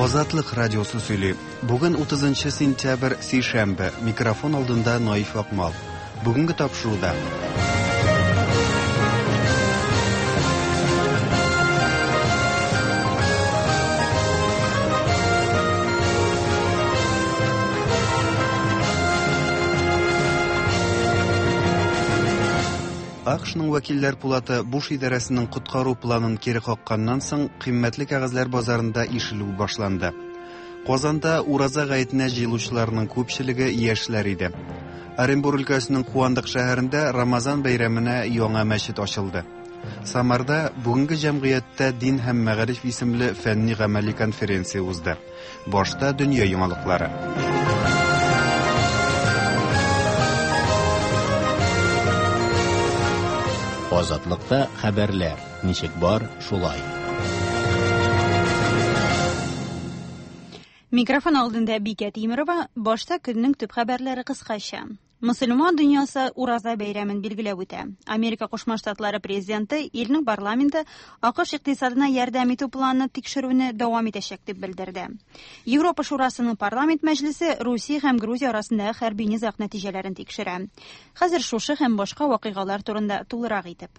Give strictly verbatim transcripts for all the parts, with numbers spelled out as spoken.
Азатлык радиосы сөйли. Бүген утызынчы сентябрь, сишәмбе. Микрофон алдында Наиф Акмал. Бүгенге тапшыруда. АКШның вәкилләр пулаты Буш идарәсенең коткару планын кире какканнан соң кыйммәтле кәгазьләр базарында ишелү башланды. Казанда Ураза гаетенә җыелучыларның күпчелеге яшьләр иде. Оренбур өлкәсенең Куандык шәһәрендә Рамазан бәйрәменә яңа мәчет ачылды. Самарда бүгенге җәмгыятьтә дин һәм мәгариф исемле фәнни гамәли конференция узды. Башта дөнья яңалыклары. Азатлыкта хәбәрләр ничек бар, шулай. Микрофон алдында Бикә Тимирова, башта көннең төп хәбәрләре кыскача. Мөселман дөньясы Ураза бәйрәмен билгеләп үтә. Америка Кушма Штатлары президенты илнең парламенты АКШ икътисадына ярдәм итү планын тикшерүне дәвам итәчәк дип белдерде. Европа Шурасының парламент мәҗлесе Русия һәм Грузия арасындагы хәрби низаг нәтиҗәләрен тикшерә. Хәзер шушы һәм башка вакыйгалар турында тулырак итеп.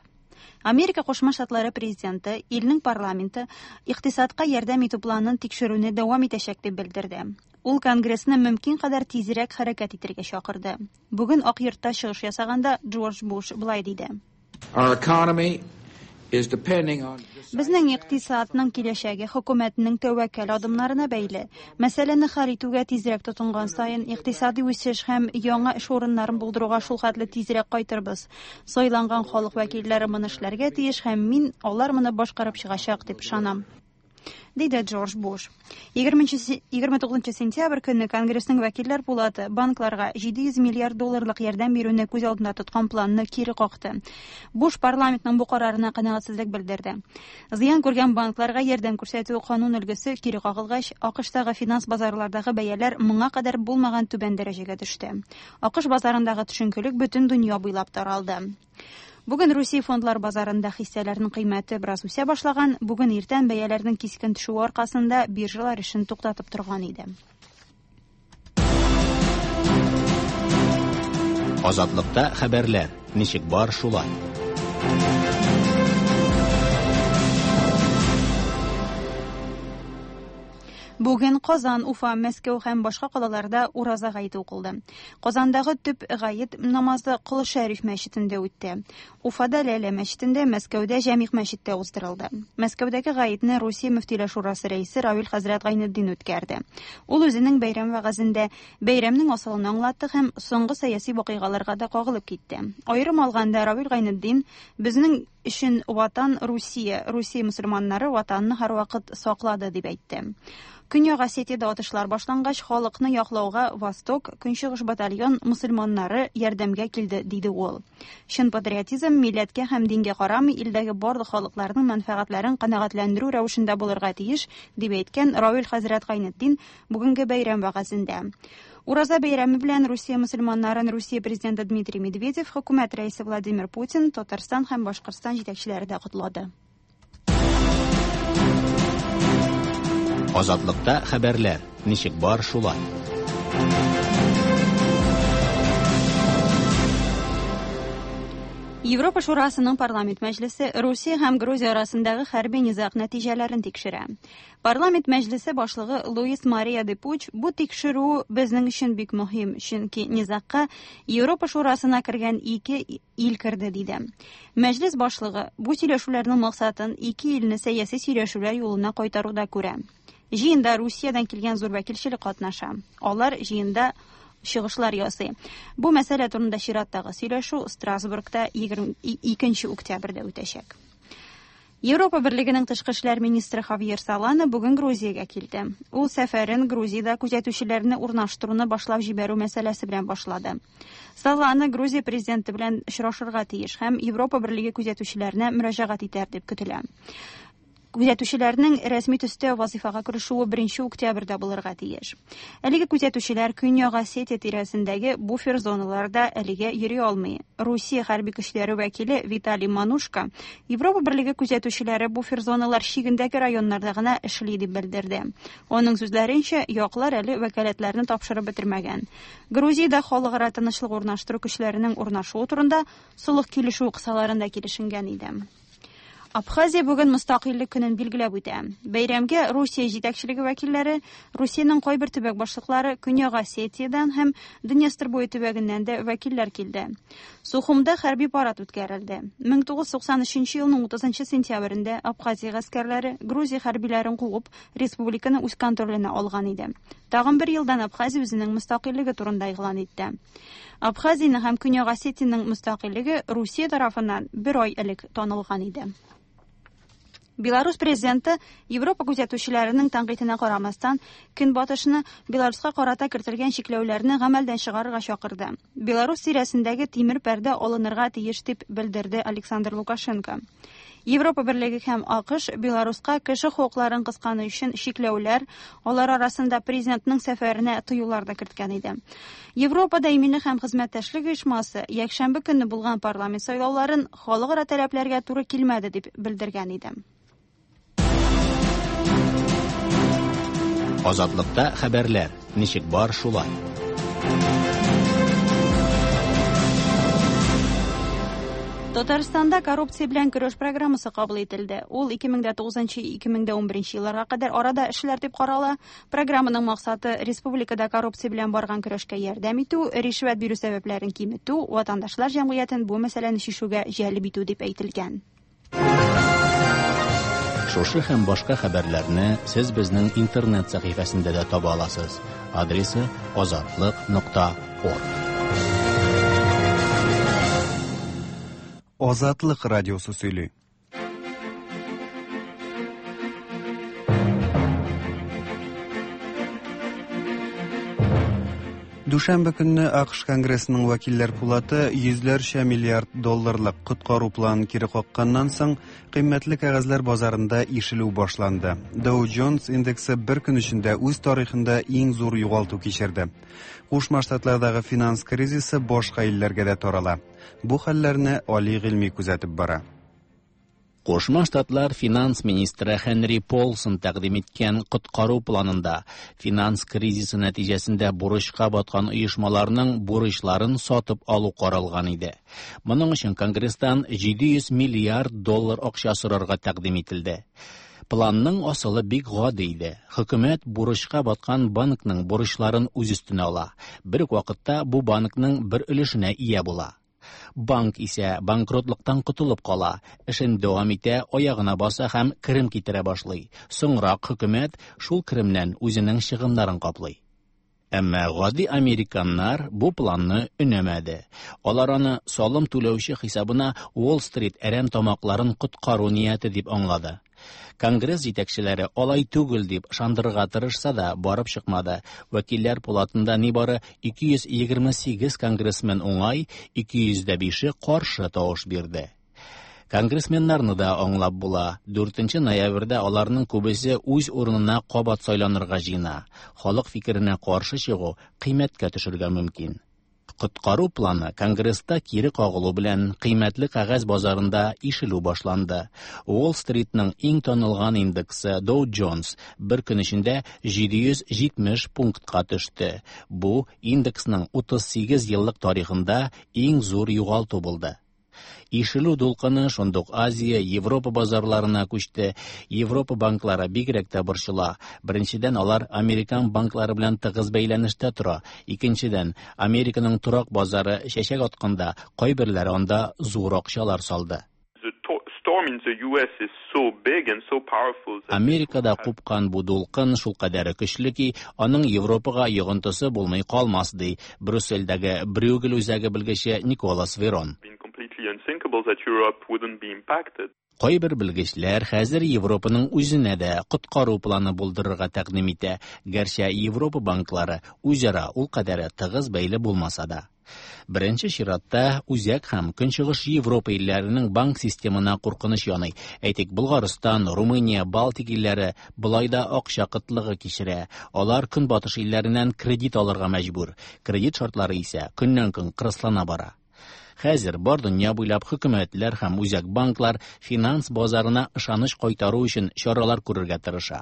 Америка Кушма Штатлары президенты илнең парламенты икътисадка ярдәм итү планын тикшерүне дәвам итәчәк дип белдерде. Ул Конгрессны мөмкин кадәр тизрәк хәрәкәт итәргә чакырды. Бүген Ак йортта чыгыш ясаганда Джордж Буш былай диде. Our economy is depending on Безнең икътисадның киләчәге хөкүмәтнең тәвәккәл адымнарына бәйле. Мәсьәләне хәл итүгә тизрәк тотынган саен икътисади үсеш һәм яңа эш урыннарын булдыруга шул хәтле тизрәк кайтырбыз. Сайланган халык вәкилләре моны эшләргә тиеш һәм мин алар моны башкарып чыгачак дип ышанам, диде Джордж Буш. егерме тугызынчы сентябрь көнне Конгрессның вәкилләр пулаты банкларга җиде йөз миллиард долларлык ярдәм бирүне күз алдында тоткан планны кире какты. Буш парламентның бу карарына канәгатьсезлек белдерде. Зыян күргән банкларга ярдәм күрсәтү канун өлгесе кире кагылгач, АКШтагы финанс базарлардагы бәяләр моңа кадәр булмаган түбән дәрәҗәгә төште. АКШ базарындагы төшенкелек бөтен дөнья буйлап таралды. Бүген Русия фондлар базарында хиссәләрнең кыйммәте бераз үсә башлаган. Бүген иртән бәяләрнең кискен төшүе аркасында биржалар эшен туктатып торган иде. Азатлыкта хәбәрләр ничек бар, шулай. Бүген Казан, Уфа, Мәскәү һәм башка калаларда Ураза гаете укылды. Казандагы төп гает намазы Кол Шәриф мәчетендә үтте. Уфада Ләлә мәчетендә, Мәскәүдә Җәмигъ мәчеттә уздырылды. Мәскәүдәге гаетне Русия мөфтиләр шурасы рәисе Равил хәзрәт Гайнетдин үткәрде. Ул үзенең бәйрәм вәгазендә бәйрәмнең асылын аңлатты һәм соңгы сәяси вакыйгаларга да кагылып китте. Аерым алганда Равил Гайнетдин безнең өчен ватан Русия, Русия мөселманнары ватанны һәрвакыт саклады дип әйтте. Көньяк Осетиядә атышлар башлангач, халыкны яклауга Восток, Көнчыгыш батальон мөселманнары ярдәмгә килде, диде ул. Чын патриотизм милләткә һәм дингә карамый илдәге барлык халыкларның мәнфәгатьләрен канәгатьләндерү рәвешендә булырга тиеш, дип әйткән Равил хәзрәт Гайнетдин бүгенге бәйрәм вәгазендә. Ураза бәйрәме белән Русия мөселманнарын Русия президенты Дмитрий Медведев, хөкүмәт рәисе Владимир Путин, Татарстан һәм Башкортстан җитәкчеләре дә котлады. Азатлыкта хәбәрләр ничек бар, шулай. Европа Шурасының парламент мәҗлесе Русия һәм Грузия арасындагы хәрби низаг нәтиҗәләрен тикшерә. Парламент мәҗлесе башлыгы Луис Мария де Пуч бу тикшерү безнең өчен бик мөһим, чөнки низагка Европа Шурасына кергән ике ил керде, диде. Мәҗлес башлыгы бу сөйләшүләрнең максатын ике илне сәяси сөйләшүләр юлына кайтаруда күрә. Җыенда Русиядән килгән зур вәкилчелек катнаша. Алар җыенда чыгышлар ясый. Бу мәсьәлә турында чираттагы сөйләшү Страсбургта егерме икенче октябрьдә үтәчәк. Европа Берлегенең тышкы эшләр министры Хавьер Солана бүген Грузиягә килде. Ул сәфәрен Грузиядә күзәтүчеләрне урнаштыруны башлап җибәрү мәсьәләсе белән башлады. Солана Грузия президенты белән очрашырга тиеш һәм Европа Берлеге күзәтүчеләренә мөрәҗәгать итәр дип көтелә. Күзәтүчеләрнең рәсми төстә вазифага керешүе беренче октябрьдә булырга тиеш. Әлеге күзәтүчеләр Көньяк Осетия тирәсендәге буфер зоналарда әлегә йөри алмый. Русия хәрби көчләре вәкиле Виталий Манушко Европа Берлеге күзәтүчеләре буфер зоналар чигендәге районнарда гына эшли дип белдерде. Аның сүзләренчә, яклар әле вәкаләтләрне тапшырып бетермәгән. Грузиядә халыкара тынычлык урнаштыру көчләренең урнашуы турында солых килешү кысаларында килешенгән иде. Абхазия бүген мөстәкыйльлек көнен билгеләп үтә. Бәйрәмгә Русия җитәкчелеге вәкилләре, Русиянең кайбер төбәк башлыклары, Көньяк Осетиядән һәм Днестр буе төбәгеннән дә вәкилләр килде. Сухумда хәрби парад үткәрелде. мең тугыз йөз туксан өченче елның утызынчы сентябрендә Абхазия гаскәрләре Грузия хәрбиләрен куып, республиканы үз контроленә алган иде. Тагын бер елдан Абхазия үзенең мөстәкыйльлеге турында игълан итте. Абхазиянең һәм Көньяк Осетиянең мөстәкыйльлеге Русия тарафыннан бер ай элек танылган иде. Беларусь президенты Европа күзәтүчеләренең тәнкыйтенә карамастан, Көнбатышны Беларуська карата кертелгән чикләүләрне гамәлдән чыгарырга чакырды. Беларусь тирәсендәге тимер пәрдә алынырга тиеш дип белдерде Александр Лукашенко. Европа Берлеге һәм АКШ Беларуська кеше хокукларын кысканы өчен чикләүләр, алар арасында президентның сәфәренә тыюлар да керткән иде. Европада иминлек һәм хезмәттәшлек оешмасы якшәмбе көнне булган парламент сайлауларын халыкара таләпләргә туры килмәде дип белдергән иде. Азатлыкта хәбәрләр ничек бар шулай. Татарстанда коррупция белән көрәш программасы кабул ителде. Ул ике мең дә тугызынчы ике мең дә унберенче елларга кадәр арада эшләр дип карала. Программаның максаты республикада коррупция белән барган көрәшкә ярдәм итү, ришвәт бирү сәбәпләрен киметү, ватандашлар җәмгыятен бу мәсьәләне чишүгә җәлеп итү дип әйтелгән. Шушы һәм башка хәбәрләрне сез безнең интернет сәхифәсендә дә таба аласыз. Адресы азатлык нокта орг. Азатлык радиосы сөйли. Дүшәмбе көнне АКШ Конгрессының вәкилләр пулаты йөзләрчә миллиард долларлык коткару планын кире какканнан соң кыйммәтле кәгазьләр базарында ишелү башланды. Dow Jones индексы бер көн эчендә үз тарихында иң зур югалту кичерде. Кушма Штатлардагы финанс кризисы башка илләргә дә тарала. Бу хәлләрне Али Гыйльми күзәтеп бара. Кушма Штатлар финанс министры Хенри Полсон тәкъдим иткән коткару планында финанс кризисы нәтиҗәсендә бурычка баткан оешмаларның бурычларын сатып алу каралган иде. Моның өчен Конгресстан җиде йөз миллиард доллар акча сорарга тәкъдим ителде. Планның асылы бик гади иде. Хөкүмәт бурычка баткан банкның бурычларын үз өстенә ала. Бер үк вакытта бу банкның бер өлешенә ия була. Банк исә банкротлыктан котылып кала, эшен дәвам итә, аягына баса һәм керем китерә башлый. Соңрак хөкүмәт шул керемнән үзенең чыгымнарын каплый. Әмма гади американнар бу планны өнәмәде. Алар аны салым түләүче хисабына Уолл-стрит әрәм тамакларын коткару нияте дип аңлады. Конгресс җитәкчеләре алай түгел дип ышандырырга тырышса да барып чыкмады. Вәкилләр пулатында нибары ике йөз егерме сигез конгрессмен уңай, ике йөз дә бише каршы тавыш бирде. Конгрессменнарны да аңлап була. Дүртенче ноябрьдә аларның күбесе үз урынына кабат сайланырга җыена. Халык фикеренә каршы чыгу кыйммәткә төшергә мөмкин. Коткару планы Конгресста кире кагылу белән кыйммәтле кәгазь базарында ишелү башланды. Уолл-стритның иң танылган индексы Dow Jones бер көн эчендә җиде йөз җитмеш пунктка төште. Бу индексның утыз сигез еллык тарихында иң зур югалту булды. Ишелү дулкыны шундук Азия, Европа базарларына күчте. Европа банклары бигрәк тә борчыла. Беренчедән, алар американ банклары белән тыгыз бәйләнештә тора. Икенчедән, Американың торак базары чәчәк атканда кайберләре анда зур акчалар салды. Америкада купкан бу дулкын шулкадәр көчле ки, аның Европага йогынтысы булмый калмас, ди Брюссельдәге Брюгель үзәге белгече Николас Верон. Кайбер белгечләр хәзер Европаның үзенә дә коткару планы булдырырга тәкъдим итә, гәрчә Европа банклары үзара ул кадәр тыгыз бәйле булмаса да. Беренче чиратта Үзәк һәм Көнчыгыш Европа илләренең банк системына куркыныч яный. Әйтик, Болгарстан, Румыния, Балтик илләре болай да акча кытлыгы кичерә. Алар Көнбатыш илләреннән кредит алырга мәҗбүр. Кредит шартлары исә көннән-көн кырыслана бара. Хәзер бар дөнья буйлап хөкүмәтләр һәм үзәк банклар финанс базарына ышаныч кайтару өчен чаралар күрергә тырыша.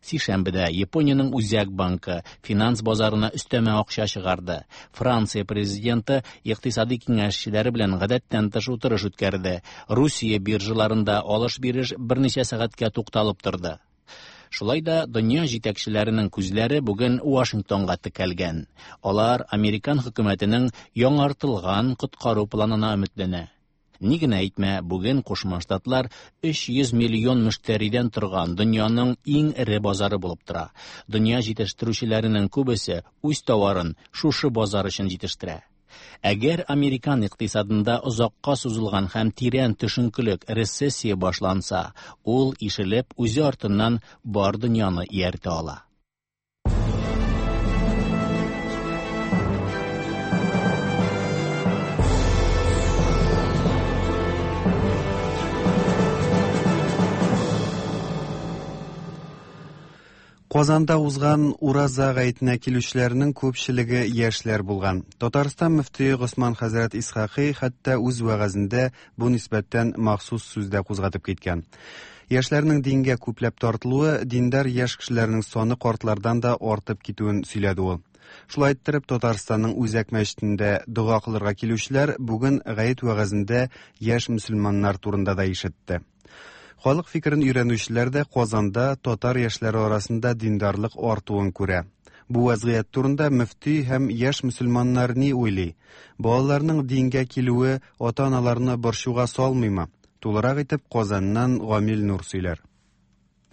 Сишәмбедә Япониянең үзәк банкы финанс базарына өстәмә акча чыгарды. Франция президенты икътисади киңәшчеләре белән гадәттән тыш утырыш үткәрде. Русия биржаларында алыш-биреш берничә сәгатькә тукталып торды. Шулай да дөнья җитәкчеләренең күзләре бүген Вашингтонга текәлгән. Алар американ хөкүмәтенең яңартылган коткару планына өметләнә. Ни генә әйтмә, бүген Кушма Штатлар өч йөз миллион мөштәридән торган дөньяның иң эре базары булып тора. Дөнья җитештерүчеләренең күбесе үз товарын шушы базар өчен җитештерә. Әгәр американ икътисадында озакка сузылган һәм тирән төшенкелек рецессия башланса, ул ишелеп үзе артыннан бар дөньяны ияртә ала. Казанда узган Ураза гаетенә килүчеләрнең күпчелеге яшьләр булган. Татарстан мөфтие Госман хәзрәт Исхакый хәтта үз вәгазендә бу нисбәттән махсус сүз дә кузгатып киткән. Яшьләрнең дингә күпләп тартылуы диндар яшь кешеләрнең саны картлардан да артып китүен сөйләде ул. Шулай иттереп, Татарстанның үзәк мәчетендә дога кылырга килүчеләр бүген гает вәгазендә яшь мөселманнар турында да ишетте. Халык фикерен өйрәнүчеләр дә Казанда татар яшьләре арасында диндарлык артуын күрә. Бу вазгыять турында мөфти һәм яшь мөселманнар ни уйлый? Балаларның дингә килүе ата-аналарны борчуга салмыймы? Тулырак итеп Казаннан Гамил Нур сөйләр.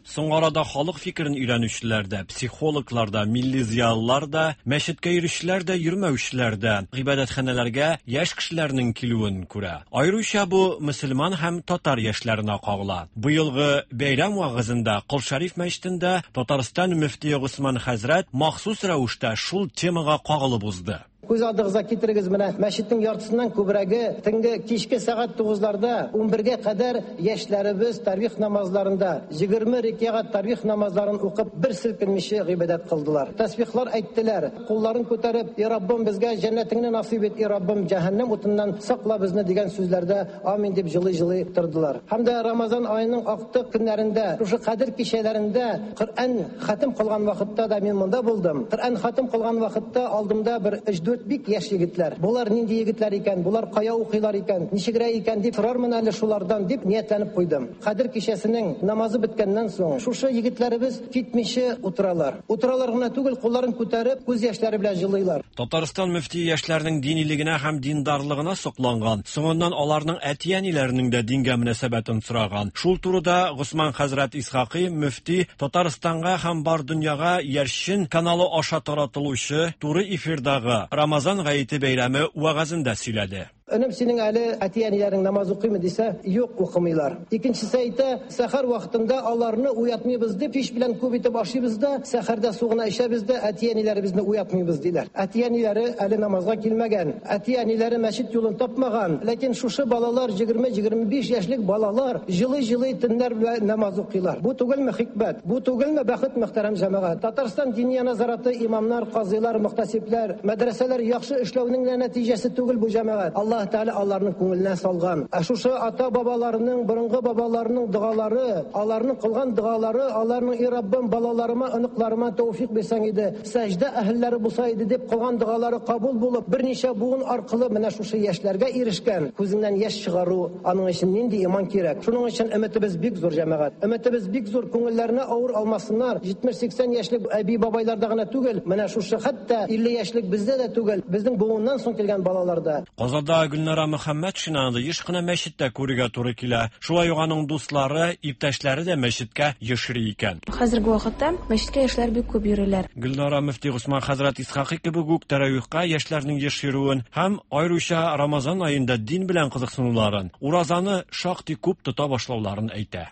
Соңгы арада халык фикерен өйрәнүчеләр дә, психологлар да, милли зыялылар да, мәчеткә йөрүчеләр дә, йөрмәүчеләр дә гыйбадәтханәләргә яшь кешеләрнең килүен күрә. Аеруча бу мөселман һәм татар яшьләренә кагыла. Быелгы бәйрәм вагызында Кол Шәриф мәчетендә Татарстан мөфтие Госман хәзрәт махсус рәвештә шул темага кагылып узды. Күз алдыгызга китерегез, менә мәчетнең яртысыннан күбрәге төнге кичке сәгать тугызларда ун бергә кадәр яшьләребез тарвих намазларында егерме рәкәгать тарвих намазларын укып бер селкенмичә гыйбадәт кылдылар. Тәсбихлар әйттеләр, кулларын күтәреп, "И Раббым, безгә җәннәтеңне насыйп ит, и Раббым, җәһәннәм утыннан сакла безне" дигән сүзләрдә амин дип җылый-җылый тордылар. Һәм дә Рамазан аеның актык көннәрендә, шушы кадер кичәләрендә Коръән хатым кылган вакытта да мин монда булдым. Коръән хатым кылган вакытта алдымда бер өч дүрт бик яшь егетләр. Булар нинди егетләр икән, булар кая укыйлар икән, ничегрәк икән дип сорармын әле шулардан дип ниятләнеп куйдым. Кадер кичәсенең намазы беткәннән соң шушы егетләребез китмичә утыралар. Утыралар гына түгел, кулларын күтәреп, күз яшьләре белән җылыйлар. Татарстан мөфтие яшьләрнең динилегенә һәм диндарлыгына сокланган, соңыннан аларның әти-әниләренең дә дингә мөнәсәбәтен сораган. Шул турыда Госман хәзрәт Исхакый мөфти Татарстанга һәм бар дөньяга Яршин каналы аша таратылучы туры эфирдагы Рамазан гаете бәйрәме вәгазендә сөйләде. Өнем, синең әле әти-әниләрең намаз укыймы дисә, юк, укымыйлар. Икенчесе әйтә, сәхәр вакытында аларны уятмыйбыз дип, кич белән күп итеп ашыйбыз да, сәхәрдә су гына эчәбез дә, әти-әниләребезне уятмыйбыз диләр. Әти-әниләре әле намазга килмәгән, әти-әниләре мәчет юлын тапмаган, ләкин шушы балалар егерме-егерме биш яшьлек балалар җылый-җылый төннәр белән намаз укыйлар. Бу түгелме хикмәт? Бу түгелме бәхет, мөхтәрәм җәмәгать? Татарстан диния назараты имамнар, казыйлар, мөхтәсибләр, мәдрәсәләр яхшы эшләүнең нәтиҗәсе түгел бу җәмәгать. Аллаһ Тәгалә аларның күңеленә салган. Ә шушы ата бабаларының, борынгы бабаларының догалары, аларның кылган догалары, аларның "И Раббым, балаларыма, оныкларыма тәүфик бирсәң иде, сәҗдә әһелләре булса иде" дип кылган догалары кабул булып, берничә буын аркылы менә шушы яшьләргә ирешкән. Күзеннән яшь чыгару, аның өчен нинди иман кирәк? Шуның өчен өметебез бик зур, җәмәгать. Өметебез бик зур, күңелләренә авыр алмасыннар. җитмеш-сиксән яшьлек әби бабайларда гына түгел, менә шушы хәтта илле яшьлек бездә дә түгел, безнең буыннан соң килгән балаларда. Казанда Гөлнара Мөхәммәтшинаны еш кына мәчеттә күрергә туры килә. Шулай ук аның дуслары, иптәшләре дә мәчеткә еш йөри икән. Хәзерге вакытта мәчеткә яшьләр бик күп йөриләр. Гөлнара мөфти Госман хәзрәт Исхакый кебек үк тәравихка яшьләрнең еш йөрүен һәм аеруча Рамазан аенда дин белән кызыксынуларын, уразаны шактый күп тота башлауларын әйтә.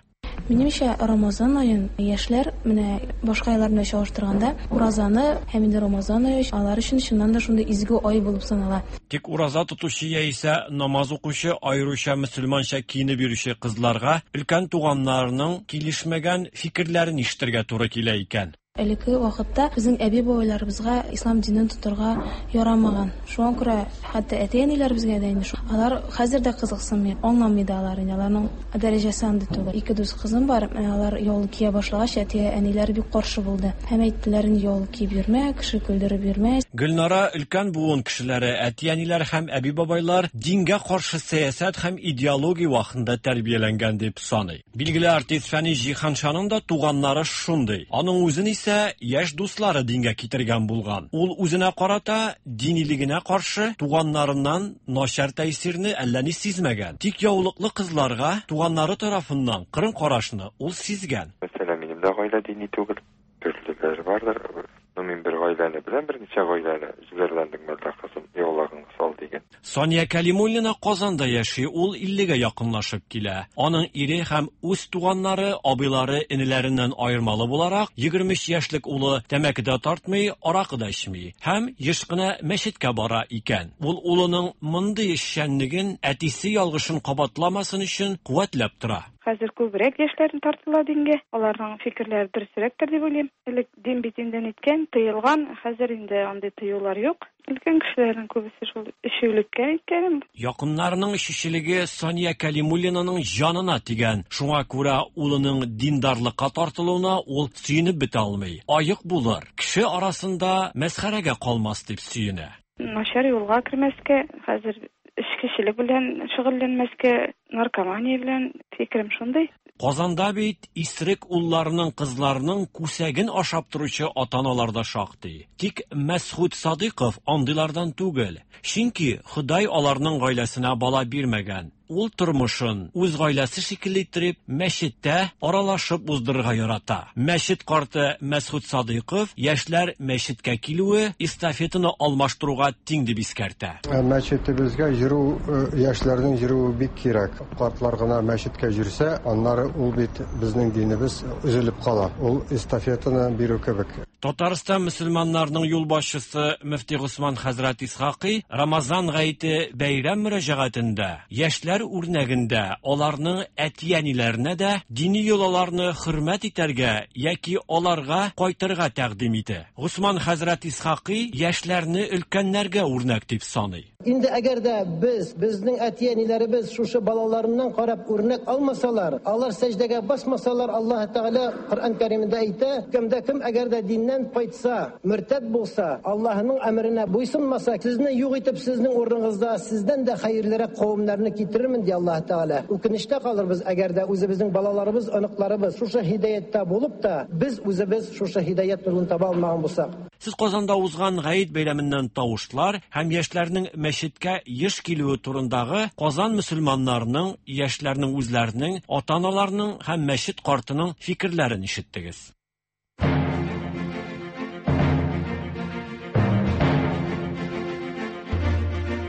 Минемчә, Рамазан аен яшьләр менә башка айлар белән чагыштырганда уразаны һәм инде Рамазан ае алар өчен чыннан да шундый изге ай булып санала. Тик ураза тотучы яисә намаз укучы, аеруча мөселманча киенеп йөрүче кызларга өлкән туганнарының килешмәгән фикерләрен ишетергә туры килә икән. Элекке вакытта безнең әби-бабайларыбызга ислам динен тотарга ярамаган. Шуңа күрә хәтта әти-әниләребезгә дә инде алар хәзер дә кызыксынмый, аңламый да алар инде, аларның дәрәҗәсе андый түгел. Ике дус кызым бар, алар яулык кия башлагач, әти-әниләре бик каршы булды. Һәм әйттеләр, инде яулык киеп йөрмә, кеше көлдереп йөрмә. Гөлнара өлкән буын кешеләре, әти-әниләр һәм әби-бабайлар дингә каршы сәясәт һәм идеология вакытында тәрбияләнгән дип саный. Билгеле артист Фәнис Җиһаншаның да туганнары шундый. Аның үзен исә яшь дуслары дингә китергән булган. Ул үзенә карата динилегенә каршы туганнарыннан начар тәэсирне әллә ни сизмәгән. Тик яулыклы кызларга туганнары тарафыннан кырын карашны ул сизгән. Мәсәлән, минем дә гаилә дини түгел. Төрлеләр бардыр. Но мин бер гаиләне беләм, берничә гаиләне үзләренең мәллә кызым яулыгын сал дигән. Сания Калимуллина Казанда яши, ул иллегә якынлашып килә. Аның ире һәм үз туганнары, абыйлары, энеләреннән аермалы буларак, егерме өч яшьлек улы тәмәке дә тартмый, аракы да эчми һәм еш кына мәчеткә бара икән. Ул улының мондый эшчәнлеген әтисе ялгышын кабатламасын өчен куәтләп тора. Хәзер күбрәк яшьләрне тартыла дингә, аларның фикерләре дөресрәктер дип уйлыйм. Элек дин бит инде ниткән, тыелган, хәзер инде андый тыюлар юк. Өлкән кешеләрнең күбесе шул эчүлеккә иткән. Якыннарының эчүчелеге Сания Калимуллинаның җанына тигән. Шуңа күрә улының диндарлыкка тартылуына ул сөенеп бетә алмый. Аек булыр, кеше арасында мәсхәрәгә калмас дип сөенә. Начар юлга кермәскә, хәзер эчкечелек белән шөгыльләнмәскә, наркомания белән, фикерем шундый. Казанда бит исерек улларының, кызларының күсәген ашап торучы ата-аналар да шактый. Тик Мәсхүт Садыйков андыйлардан түгел. Чөнки Ходай аларның гаиләсенә бала бирмәгән. Ул тормышын үз гаиләсе шикелле иттереп, мәчеттә аралашып уздырырга ярата. Мәчет карты Мәсхүт Садыйков яшьләр мәчеткә килүе эстафетаны алмаштыруга тиң дип искәртә. Мәчетебезгә йөрү, яшьләрнең йөрүе бик кирәк. Картлар гына мәчеткә йөрсә, аннары ул бит безнең динебез өзелеп кала. Ул эстафетаны бирү кебек. Татарстан мөселманнарының юлбашчысы мөфти Госман хәзрәт Исхакый Рамазан гаете бәйрәм мөрәҗәгатендә яшьләр үрнәгендә аларның әти-әниләренә дә дини йолаларны хөрмәт итәргә яки аларга кайтырга тәкъдим итә. Госман хәзрәт Исхакый яшьләрне өлкәннәргә үрнәк дип саный. Инде әгәр дә без, безнең әти-әниләребез шушы балаларыннан карап үрнәк алмасалар, алар сәҗдәгә басмасалар, Аллаһ Тәгалә Коръән Кәримендә әйтә, кемдә кем әгәр дә диннән кайтса, мөртәд булса, Аллаһның әмеренә буйсынмаса, сезне юк итеп, сезнең урыныгызда сездән дә хәерлерәк кавемнәрне китерермен ди Аллаһ Тәгалә. Үкенечтә калырбыз, әгәр дә үзебезнең балаларыбыз, оныкларыбыз шушы һидаяттә булып та, без үзебез шушы һидаят юлын таба алмаган булсак. Сез Казанда узган гает бәйрәменнән тавышлар һәм яшьләрнең мәчеткә еш килүе турындагы Казан мөселманнарының, яшьләрнең үзләренең, ата-аналарының һәм мәчет картының фикерләрен ишеттегез.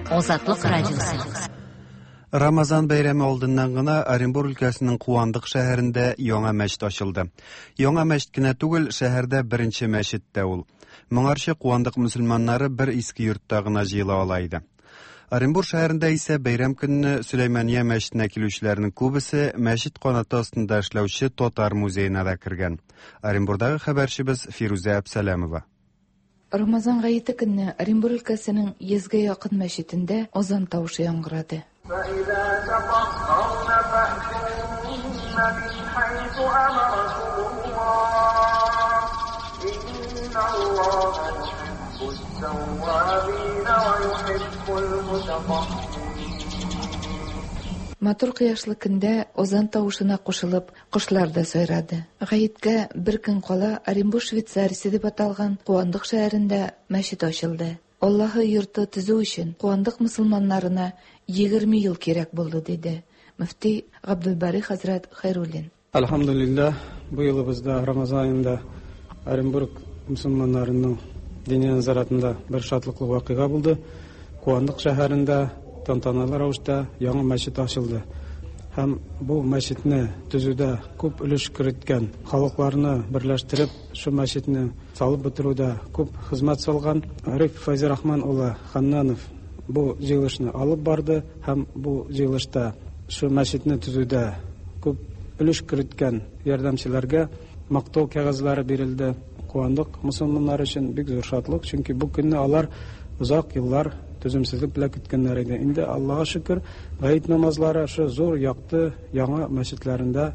Азатлык радиосы. Рамазан бәйрәме алдыннан гына Оренбур өлкәсенең Куандык шәһәрендә яңа мәчет ачылды. Яңа мәчет кенә түгел, шәһәрдә беренче мәчет тә ул. Моңарчы Куандык мөселманнары бер иске йортта гына җыела ала иде. Оренбур шәһәрендә исә бәйрәм көнне Сөләймания мәчетенә килүчеләрнең күбесе мәчет канаты астында эшләүче татар музеена да кергән. Оренбурдагы хәбәрчебез Фирүзә Әбсәләмова. Рамазан гаете көнне Оренбур өлкәсенең йөзгә якын мәчетендә азан тавышы яңгырады. فإذا تطهرن فأتوهن من حيث أمركم الله إن الله يحب التوابين ويحب المتطهرين. Матур кояшлы көндә азан тавышына кушылып, кошлар да сайрады. Гаеткә бер көн кала Оренбур Швейцариясе дип аталган Куандык шәһәрендә мәчет ачылды. Аллаһы йорты төзү өчен Куандык мөселманнарына егерме ел кирәк булды, диде мөфти Габдулбари хәзрәт Хәйруллин. Әлхәмдүлилләһ, бу елыбызда Рамазан аенда Оренбург мөселманнарының дини назаратында бер шатлыклы вакыйга булды. Куандык шәһәрендә тантаналы рәвештә яңа мәчет ачылды. Һәм бу мәчетне төзүдә күп өлеш керткән, халыкларны берләштереп, шу мәчетне салып бетерүдә күп хезмәт салган Риф Фәйзрахман улы Ханнанов бу җыелышны алып барды һәм бу җыелышта шу мәчетне төзүдә күп өлеш керткән ярдәмчеләргә мактау кәгазьләре бирелде. Куандык мусульманнар өчен бик зур шатлык, чөнки бу көнне алар озак еллар түземсезлек белән көткәннәр иде. Инде Аллаһка шөкер, гает намазлары шу зур якты яңа мәчетләрендә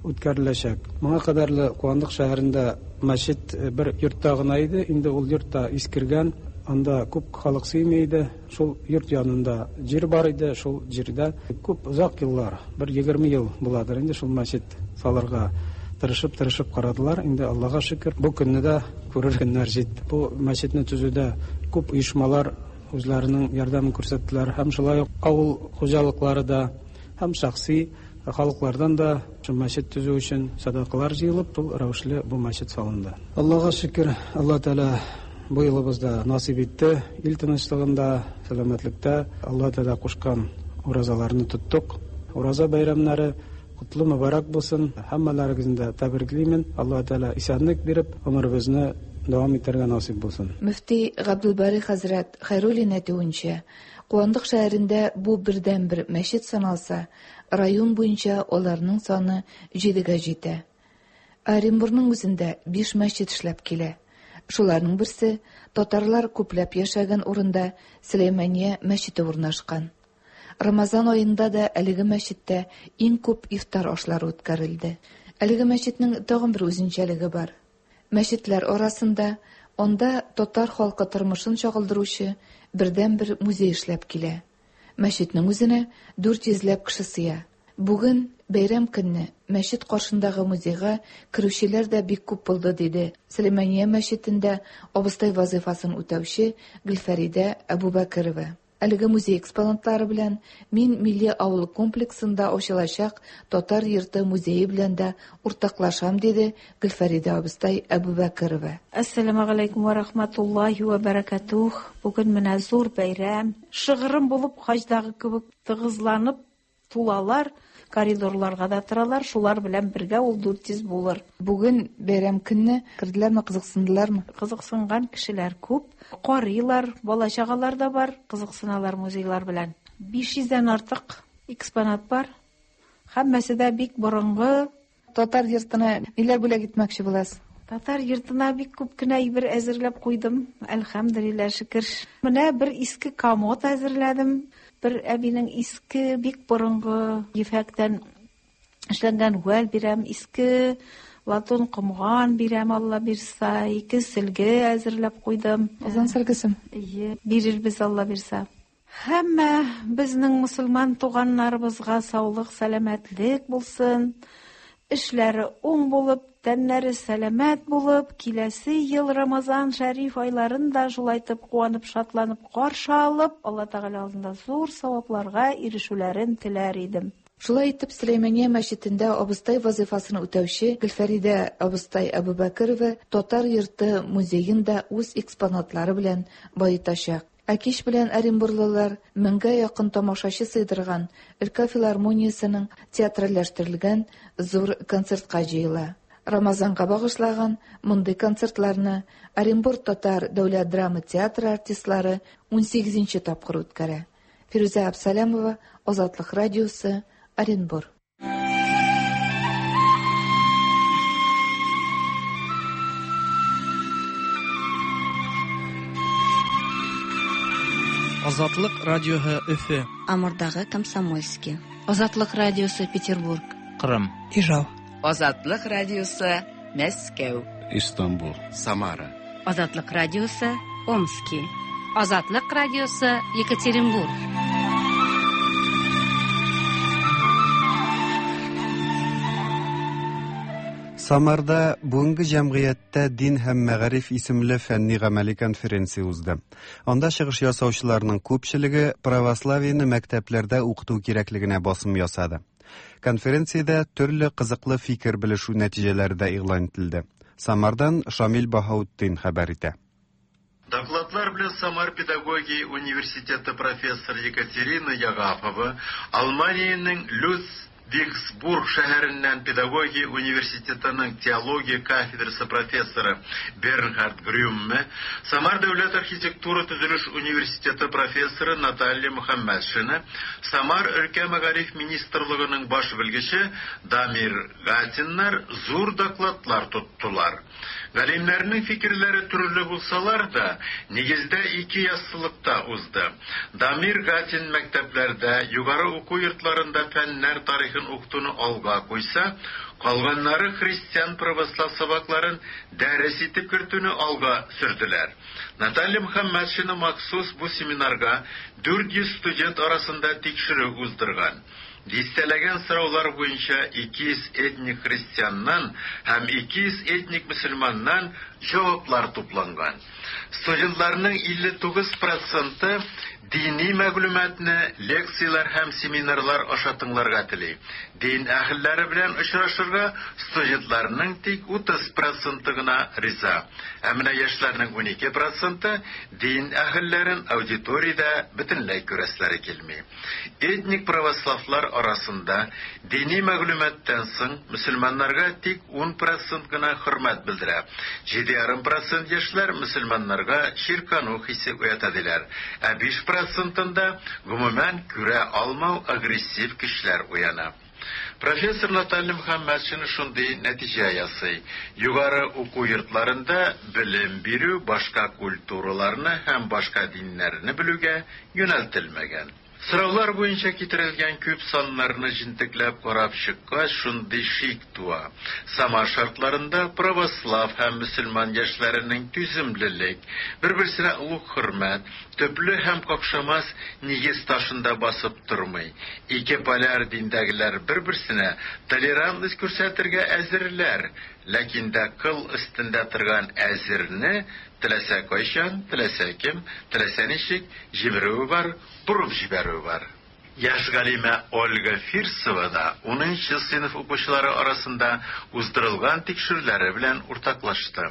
үткәреләчәк. Моңа кадәрле Куандык шәһәрендә мәчет бер йортта гына иде. Инде ул йортта искергән, анда күп халык сыймый иде. Шул йорт янында җир бар иде, шул җирдә күп озак еллар, бер егерме ел буладыр инде шул мәчет салырга тырышып-тырышып карадылар. Инде Аллаһка шөкер, бу көнне дә күрер көннәр җитте. Бу мәчетне төзүдә күп оешмалар үзләренең ярдәмен күрсәттеләр. Һәм шулай ук авыл хуҗалыклары да, һәм шәхси халыклардан да шул мәчет төзү өчен садакалар җыелып, шул рәвешле бу мәчет салынды. Аллаһка шөкер, Аллаһ Тәгалә бу елыбызда насыйп итте. Ил тынычлыгында, сәламәтлектә Аллаһ Тәгалә кушкан уразаларны тоттык. Ураза бәйрәмнәре котлы мөбарәк булсын. Һәммәләрегезне дә тәбриклимен. Аллаһ Тәгалә исәнлек биреп, гомеребезне дәвам итәргә насыйп булсын. Мөфти Габдулбари хәзрәт Хәйруллин әйтүенчә, Куандык шәһәрендә бу бердәнбер мәчет саналса, район буенча аларның саны җидегә җитә. Оренбургның үзендә биш мәчет эшләп килә. Шуларның берсе татарлар күпләп яшәгән урында Сөләймания мәчете урнашкан. Рамазан аенда да әлеге мәчеттә иң күп ифтар ашлары үткәрелде. Әлеге мәчетнең тагын бер үзенчәлеге бар. Мәчетләр арасында анда татар халкы тормышын чагылдыручы бердәнбер музей эшләп килә. Мәчетнең үзенә дүрт йөзләп кеше сыя. Бүген бәйрәм көнне мәчет каршындагы музейга керүчеләр дә бик күп булды, диде Сөләймания мәчетендә абыстай вазифасын үтәүче Гөлфәридә Әбүбәкерова. Әлеге музей экспонатлары белән мин Милли авыл комплексында ачылачак Татар йорты музее белән дә уртаклашам, диде Гөлфәридә абыстай Әбүбәкерова. Ассаламу алейкум ва рахматуллахи ва баракатух. Бүген менә зур бәйрәм. Шыгрым булып хаҗдагы кебек тыгызланып тулалар, коридорларга да торалар, шулар белән бергә ул дүрт йөз булыр. Бүген бәйрәм көнне керделәрме, кызыксындылармы? Кызыксынган кешеләр күп. Карыйлар, бала-чагалар да бар, кызыксыналар музейлар белән. Биш йөздән артык экспонат бар. Һәммәсе дә бик борынгы. Татар йортына ниләр бүләк итмәкче буласыз? Татар йортына бик күп кенә әйбер әзерләп куйдым. Әлхәмдүлилләһ, шөкер. Менә бер иске комод әзерләдем. Бер әбинең иске, бик борынгы ефәктән эшләнгән гүәл бирәм, иске латун комган бирәм, Алла бирса, ике сөлге әзерләп куйдым. Озан сөлгесем? Әйе, бирербез Алла бирса. Һәммә безнең мусульман туганнарыбызга саулык, сәламәтлек булсын. Эшләре уң булып, тәннәре сәламәт булып, киләсе ел Рамазан шәриф айларын да шулайтып куанып, шатланып каршы алып, Алла Тәгалә алдында зур савапларга ирешүләрен теләр идем. Шулай итеп, Сөләймания мәчетендә абыстай вазифасын үтәүче Гөлфәридә абыстай Әбүбәкерова Татар йорты музеен да үз экспонатлары белән баетачак. Ә кич белән оренбурлылар меңгә якын тамашачы сыйдырган өлкә филармониясенең театральләштерелгән зур концертка җыела. Рамазанга багышлаган мондый концертларны Оренбург татар дәүләт драма театры артистлары унсигезенче тапкыр үткәрә. Фирүзә Абсалямова, Азатлык радиосы, Оренбург. Азатлык радиоһы Өфө. Амурдагы Комсомольский. Азатлык радиосы Петербург. Кырым. Ижау. Азатлык радиосы Мәскәү. Истанбул. Самара. Азатлык радиосы Омски. Азатлык радиосы Екатеринбург. Самарда бүгенге җәмгыятьтә дин һәм мәгариф исемле фәнни гамәли конференция узды. Анда чыгыш ясаучыларның күпчелеге православиене мәктәпләрдә укыту кирәклегенә басым ясады. Конференциядә төрле кызыклы фикер белешү нәтиҗәләре дә игълан ителде. Самардан Шамил Баһаутдин хәбәр итә. Докладлар белән Самар педагогия университеты профессор Екатерина Ягафова, Алманиянең Люц Виксбург шәһәреннән педагогия университетының теология кафедрасы профессоры Бернхард Грюмме, Самар дәүләт архитектура төзелеш университеты профессоры Наталья Мөхәммәтшина, Самар өлкә мәгариф министрлыгының баш белгече Дамир Гатиннар зур докладлар тоттылар. Галимнәрнең фикерләре төрле булсалар да, нигездә ике яссылыкта узды. Дамир Гатин мәктәпләрдә, югары уку йортларында фәннәр тарихын укытуны алга куйса, калганнары христиан православ сабакларын дәрес итеп кертүне алга сөрделәр. Наталья Мөхәммәтшина махсус бу семинарга дүрт йөз студент арасында тикшерү уздырган. Дистәләгән сораулар буенча ике йөз этник христианнан һәм ике йөз этник мөселманнан җаваплар тупланган. Студентларның илле тугыз проценты дини мәгълүматны лекцияләр һәм семинарлар аша тыңларга тели. Дин әһелләре белән очрашырга студентларның тик утыз проценты гына риза. Ә менә яшьләрнең унике проценты дин әһелләрен аудиториядә бөтенләй күрәсләре килми. Этник православлар арасында дини мәгълүматтан соң мөселманнарга тик ун процент гына хөрмәт белдерә. Җиде ярым процент яшьләр мөселманнарга чиркану хисе уята диләр. Ә биш процентында гомумән күрә алмау агрессив көчләр уяна. Профессор Наталья Мөхәммәтшина шундый нәтиҗә ясый. Югары уку йортларында белем бирү башка культураларны һәм башка диннәрне белүгә юнәлтелмәгән. Сораулар буенча китерелгән күп саннарны җентекләп карап чыккач, шундый шик туа. Самар шартларында православ һәм мөселман яшьләренең түземлелек, бер-берсенә олуг хөрмәт, төпле һәм какшамас нигез ташында басып тормый. Ике поляр диндәгеләр бер-берсенә толерантность күрсәтергә әзерләр, ләкин дә кыл өстендә торган әзерне теләсә кайчан, теләсә кем, теләсә ничек җибәрүе бар, борып җибәрүе бар. Яшь галимә Ольга Фирсова да унынчы сыйныф укучылары арасында уздырылган тикшерүләре белән уртаклашты.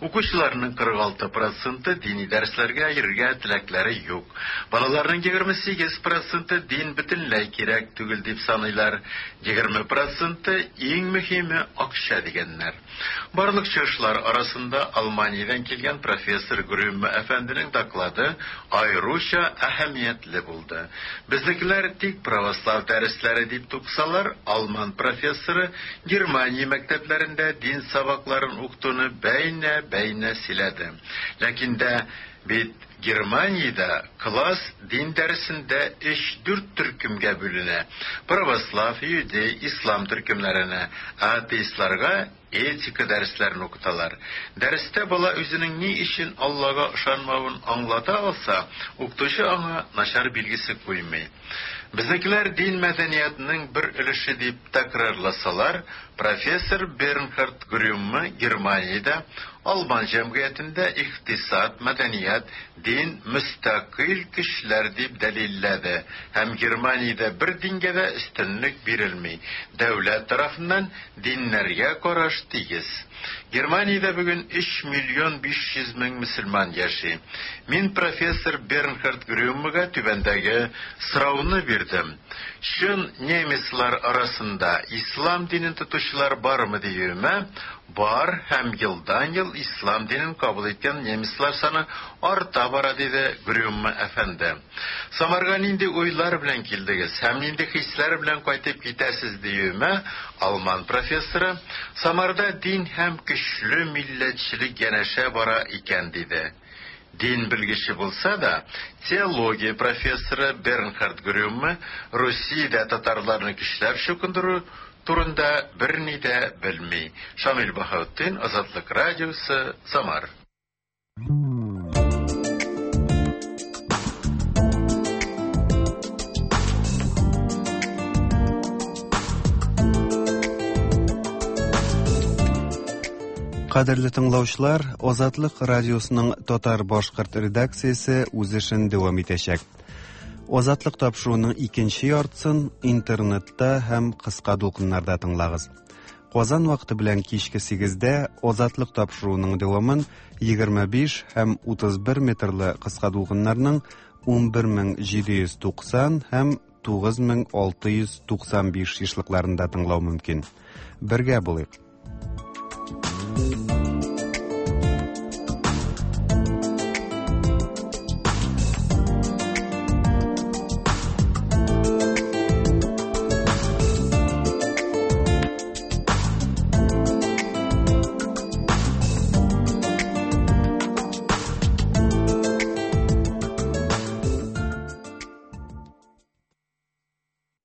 Укучыларның кырык алты проценты дини дәресләргә йөрергә теләкләре юк. Балаларның егерме сигез проценты дин бөтенләй кирәк түгел дип саныйлар. Егерме проценты иң мөһиме акча дигәннәр. Барлык чыгышлар арасында Алманиядән килгән профессор Грюмме әфәнденең доклады аеруча әһәмиятле булды. Безнекеләр тик православ дәресләре дип туксалар, алман профессоры Германия мәктәпләрендә дин сабакларын укытуны бәйнә-бәйнә сөйләде. Ләкин дә бит Германиядә класс дин дәресендә өч-дүрт төркемгә бүленә. Православ, иудей, ислам төркемнәренә, атеистларга этика дәресләрен укыталар. Дәрестә бала үзенең ни өчен Аллага ышанмавын аңлата алса, укытучы аңа начар билгесе куймый. Безнекеләр дин мәдәниятының бер өлеше дип тәкрарласалар, профессор Бернхард Грюмме Германиядә Алман җәмгыятендә икътисад, мәдәният, дин мөстәкыйль көчләр дип дәлилләде һәм Германиядә бер дингә дә өстенлек бирелми. Дәүләт тарафыннан диннәргә караш тигез. Германиядә бүген өч миллион биш йөз мең мөселман яши. Мин профессор Бернхард Грюммега түбәндәге сорауны бирдем. Чын немецлар арасында ислам динен тотучылар бармы диюемә, бар һәм елдан-ел ислам динен кабул иткән немецлар саны арта бара, диде Грюмме әфәнде. Самарга нинди уйлар белән килдегез һәм нинди хисләр белән кайтып китәсез диюемә, алман профессоры Самарда дин һәм көчле милләтчелек янәшә бара икән, диде. Дин белгече булса да, теология профессоры Бернхард Грюмме Русиядә татарларны көчләп чукындыру турында берни дә белми. Шамил Баһаутдин, Азатлык радиосы, Самар. Кадерле тыңлаучылар, Азатлык радиосының татар-башкорт редакциясе үз эшен дәвам итәчәк. Азатлык тапшыруының икенче яртысын интернетта һәм кыска дулкыннарда тыңлагыз. Казан вакыты белән кичке сигездә Азатлык тапшыруының дәвамын егерме биш һәм утыз бер метрлы кыска дулкыннарның ун бер мең җиде йөз туксан һәм тугыз мең алты йөз туксан биш ешлыкларында тыңлау мөмкин. Бергә булыйк.